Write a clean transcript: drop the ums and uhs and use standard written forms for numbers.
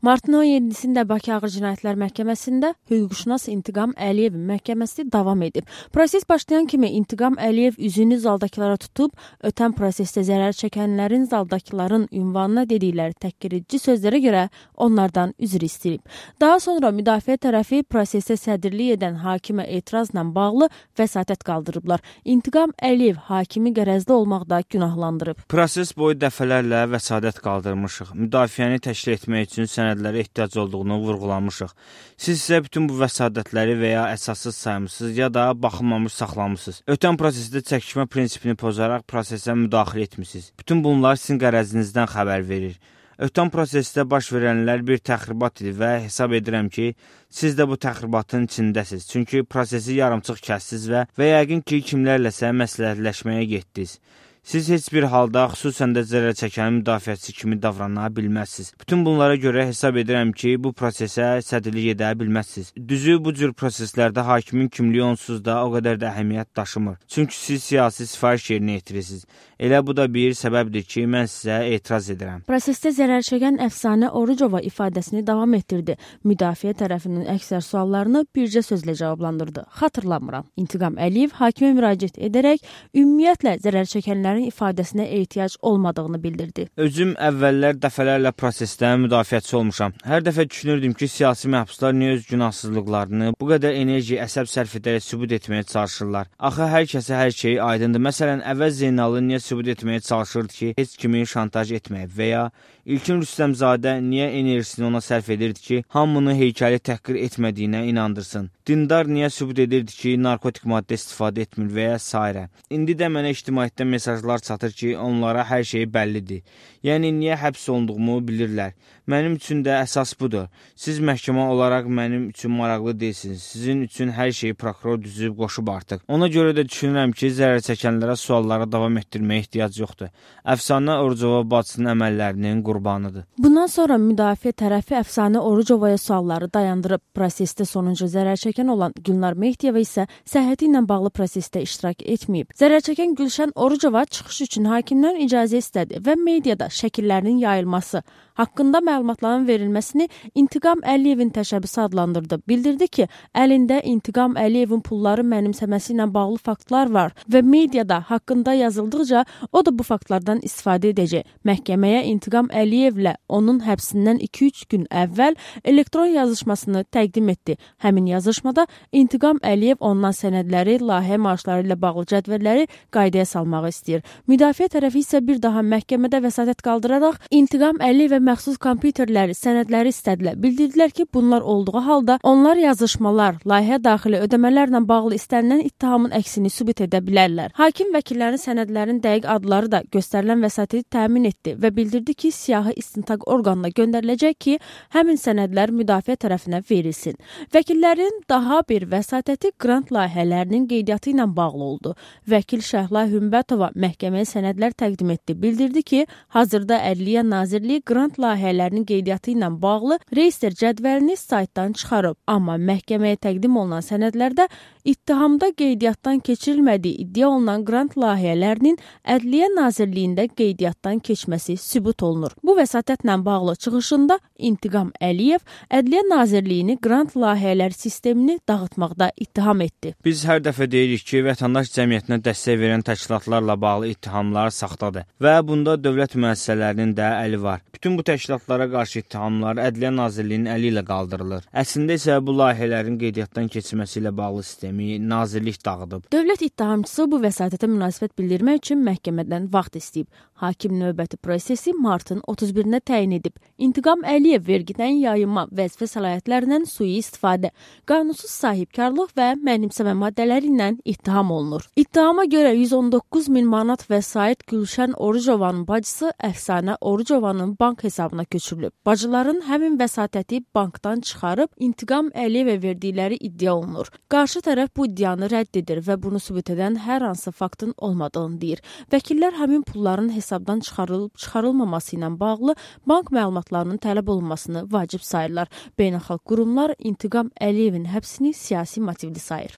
Martın 17-sində Bakı Ağır Cinayətlər Məhkəməsində hüquqşünas İntiqam Əliyevin məhkəməsi davam edib. Proses başlayan kimi İntiqam Əliyev üzünü zaldakılara tutub, ötən prosesdə zərər çəkənlərin zaldakıların ünvanına dedikləri təhqiredici sözlərə görə onlardan üzr istəyib. Daha sonra müdafiə tərəfi prosesə sədrlik edən hakimə etirazla bağlı vəsatət qaldırıblar. İntiqam Əliyev hakimi qərəzli olmaqda günahlandırıb. Proses boyu dəfələrlə vəsatət qaldırmışıq. Müdafiəni təşkil etmək üçün sənədlərə ehtiyac olduğunu vurğulamışıq. Siz isə bütün bu vəsadətləri və ya əsassız saymısınız ya da baxılmamış saxlamısınız. Ötən prosesdə çəkişmə prinsipini pozaraq prosesə müdaxilə etmişsiniz. Bütün bunlar sizin qərəzinizdən xəbər verir. Ötən prosesdə baş verənlər bir təxribat idi və hesab edirəm ki, siz də bu təxribatın içindəsiniz. Çünki prosesi yarımçıq kəsdiniz və yəqin ki, kimlərləsə məsləhətləşməyə getdiniz. Siz heç bir halda, xüsusən də zərər çəkən müdafiəçi kimi davrana bilməzsiniz. Bütün bunlara görə hesab edirəm ki, bu prosesə sədrlik edə bilməzsiniz. Düzü, bu cür proseslərdə hakimin kimliyi onsuz da o qədər də əhəmiyyət daşımır. Çünki siz siyasi sifariş yerinə yetirirsiniz. Elə bu da bir səbəbdir ki, mən sizə etiraz edirəm. Prosesdə zərər çəkən Əfsanə Orucova ifadəsini davam etdirdi. Müdafiə tərəfinin əksər suallarını bircə sözlə cavablandırdı. Xatırlamıram. İntiqam Əliyev hakimə müraciət edərək ümumiyyətlə zərər çəkənlərin ifadəsinə ehtiyac olmadığını bildirdi. Özüm əvvəllər dəfələrlə prosesdə müdafiəçi olmuşam. Hər dəfə düşünürdüm ki, siyasi məhbuslar niyə öz günahsızlıqlarını bu qədər enerji, əsəb sərf edərək sübut etməyə çalışırlar. Axı hər kəsə hər şey aydındır. Məsələn, Əvəz Zeynallı niyə sübut etməyə çalışırdı ki, heç kimi şantaj etməyib və ya İlkin Rüstəmzadə niyə enerjisini ona sərf edirdi ki, hamını heykəli təhqir etmədiyinə inandırsın. Dindar niyə sübut edirdi ki, narkotik maddə istifadə etmir və ya s. İndi də mənə ictimaiyyətdən mesajlar çatır ki, onlara hər şey bəllidir. Yəni, niyə həbs olunduğumu bilirlər. Mənim üçün də əsas budur. Siz məhkəmə olaraq mənim üçün maraqlı deyilsiniz. Sizin üçün hər şeyi prokuror düzüb qoşub artıq. Ona görə də düşünürəm ki, zərər çəkənlərə suallara davam etdirməyə ehtiyac yoxdur. Əfsanə Orucova bacısının əməllərinin qurbanıdır. Bundan sonra müdafiə tərəfi Əfsanə Orucovaya sualları dayandırıb. Prosesdə sonuncu zərər çəkən olan Gülnar Mehdiyeva isə səhhəti ilə bağlı prosesdə iştirak etməyib. Zərər çəkən Gülşən Orucova çıxış üçün hakimdən icazə istədi və mediada şəkillərinin yayılması, haqqında məlumatların verilməsini İntiqam Əliyevin təşəbbüsü adlandırdı. Bildirdi ki, əlində İntiqam Əliyevin pulları mənimsəməsi ilə bağlı faktlar var və mediada haqqında yazıldıqca o da bu faktlardan istifadə edəcək. Məhkəməyə İntiqam Əliyevlə onun həbsindən 2-3 gün əvvəl elektron yazışmasını təqdim etdi. Həmin yazışmada İntiqam Əliyev ondan sənədləri, layihə marşları ilə bağlı cədvəlləri qaydaya salmağı istəyir. Müdafiə tərəfi isə bir daha məhkəmədə vəsatət qaldıraraq İntiqam Əliyevə məxsus kompüterləri, sənədləri istədilər. Bildirdilər ki, bunlar olduğu halda onlar yazışmalar, layihə daxili ödəmələrlə bağlı istənilən ittihamın əksini sübut edə bilərlər. Hakim vəkillərin sənədlərin dəqiq adları da göstərilən vəsatəti təmin etdi və bildirdi ki, siyahı istintaq orqanına göndəriləcək ki, həmin sənədlər müdafiə tərəfinə verilsin. Vəkillərin daha bir vəsatəti qrant layihələrinin qeydiyyatı ilə bağlı oldu. Vəkil Şəhla Hümbətova məhkəməyə sənədlər təqdim etdi. Bildirdi ki, hazırda Ədliyyə Nazirliyi qrant layihələrinin qeydiyyatı ilə bağlı reyestr cədvəlini saytdan çıxarıb. Amma məhkəməyə təqdim olunan sənədlərdə ittihamda qeydiyyatdan keçirilmədiyi iddia olunan qrant layihələrinin Ədliyyə Nazirliyində qeydiyyatdan keçməsi sübut olunur. Bu vəsatətlə bağlı çıxışında İntiqam Əliyev Ədliyyə Nazirliyini qrant layihələr sistemini dağıtmaqda ittiham etdi. Biz hər dəfə deyirik ki, vətəndaş cəmiyyətinə dəstək verən təşkilatlarla bağlı ittihamlar saxtadır və bunda dövlət müəssisələrinin də əli var. Bütün bu təşkilatlara qarşı ittihamlar Ədliyyə Nazirliyinin əli ilə qaldırılır. Əslində isə bu layihələrin qeydiyyatdan keçirməsi ilə bağlı sistemi nazirlik dağıdıb. Dövlət ittihamçısı bu vəsatətə münasibət bildirmək üçün məhkəmədən vaxt istəyib. Hakim növbəti prosesi martın 31-nə təyin edib. İntiqam Əliyev vergidən yayınma vəzifə səlahiyyətlərindən sui-istifadə, qanunsuz sahibkarlıq və mənimsəmə maddələri ilə ittiham olunur. İttihama görə 119 min manat vəsait Gülşən Orucovanın bacısı Əfsanə Orucovanın bank hesabına köçürülüb. Bacıların həmin vəsatəti bankdan çıxarıb İntiqam Əliyevə verdikləri iddia olunur. Qarşı tərəf bu iddianı rədd edir və bunu sübut edən hər hansı faktın olmadığını deyir. Vəkillər həmin pulların hesabdan çıxarılmaması ilə bağlı bank məlumatlarının tələb olunmasını vacib sayırlar. Beynəlxalq qurumlar İntiqam Əliyevin həbsini siyasi motivli sayır.